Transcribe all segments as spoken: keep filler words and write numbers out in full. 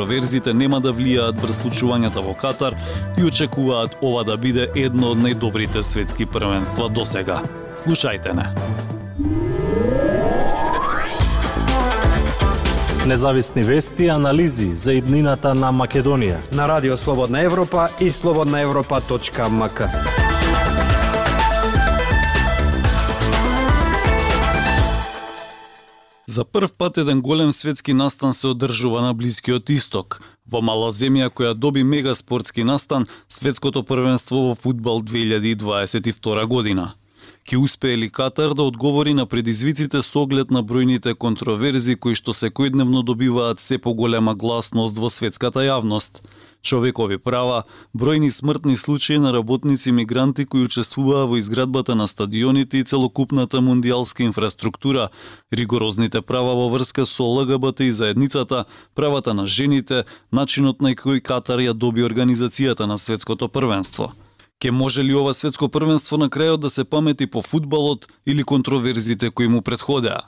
Контроверзите нема да влијаат врз случувањата во Катар и очекуваат ова да биде едно од најдобрите светски првенства досега. Слушајте не. Независни вести и анализи за иднината на Македонија на Радио Слободна Европа и слободна европа точка ем ка. За прв пат еден голем светски настан се одржува на Блискиот Исток. Во мала земја која доби мега спортски настан, светското првенство во фудбал две илјади дваесет и втора година. Ке успее ли Катар да одговори на предизвиците со оглед на бројните контроверзи кои што секојдневно добиваат се поголема гласност во светската јавност? Човекови права, бројни смртни случаи на работници мигранти кои учествуваа во изградбата на стадионите и целокупната мундијалска инфраструктура, ригорозните права во врска со Л Г Б Т и заедницата, правата на жените, начинот на кој Катар ја доби организацијата на светското првенство. Ке може ли ова светско првенство на крајот да се памети по фудбалот или контроверзите кои му претходеа?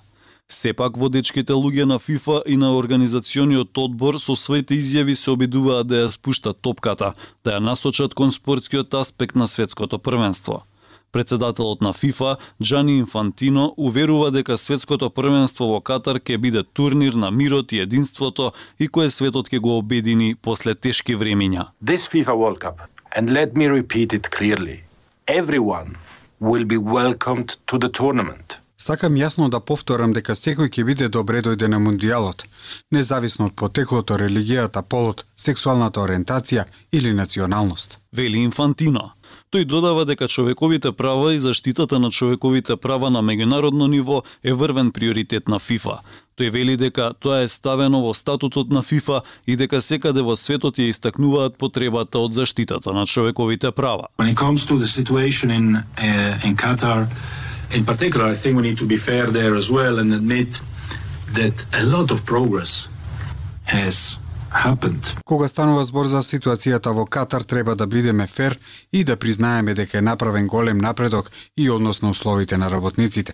Сепак водечките луѓе на ФИФА и на организациониот одбор со своите изјави се обидуваат да ја спуштат топката, да ја насочат кон спортскиот аспект на светското првенство. Председателот на ФИФА, Джани Инфантино, уверува дека светското првенство во Катар ќе биде турнир на мирот и единството и кое светот ќе го обедини после тешки времиња. This FIFA World Cup, and let me repeat it clearly, everyone will be welcomed to the tournament. Сакам јасно да повторам дека секој ќе биде добре дојде на мундијалот, независно од потеклото, религијата, полот, сексуалната ориентација или националност. Вели Инфантино. Тој додава дека човековите права и заштитата на човековите права на меѓународно ниво е врвен приоритет на ФИФА. Тој вели дека тоа е ставено во статутот на ФИФА и дека секаде во светот ја истакнуваат потребата од заштитата на човековите права. When it comes to the situation in uh, in Qatar, in particular, I think we need to be fair there as well and admit that a lot of progress has happened. Кога станува збор за ситуацијата во Катар, треба да бидеме фер и да признаеме дека е направен голем напредок и односно условите на работниците.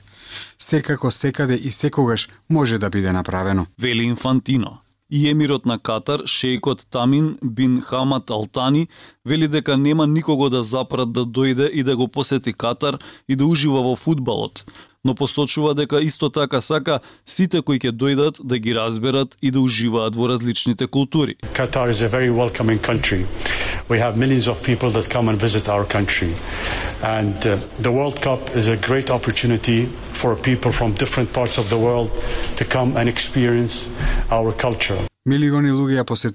Секако, секаде и секогаш може да биде направено. Вели Инфантино. И емирот на Катар, шејкот Тамин бин Хамад Ал Тани, вели дека нема никого да запрат да дојде и да го посети Катар и да ужива во фудбалот, но посочува дека исто така сака сите кои ќе дојдат да ги разберат и да уживаат во различните култури. Qatar is a very welcoming country. We have millions of people that come and visit our country. And uh, the World Cup is a great opportunity for people from different parts of the world to come and experience our culture. Милиони луѓе ја посетуваат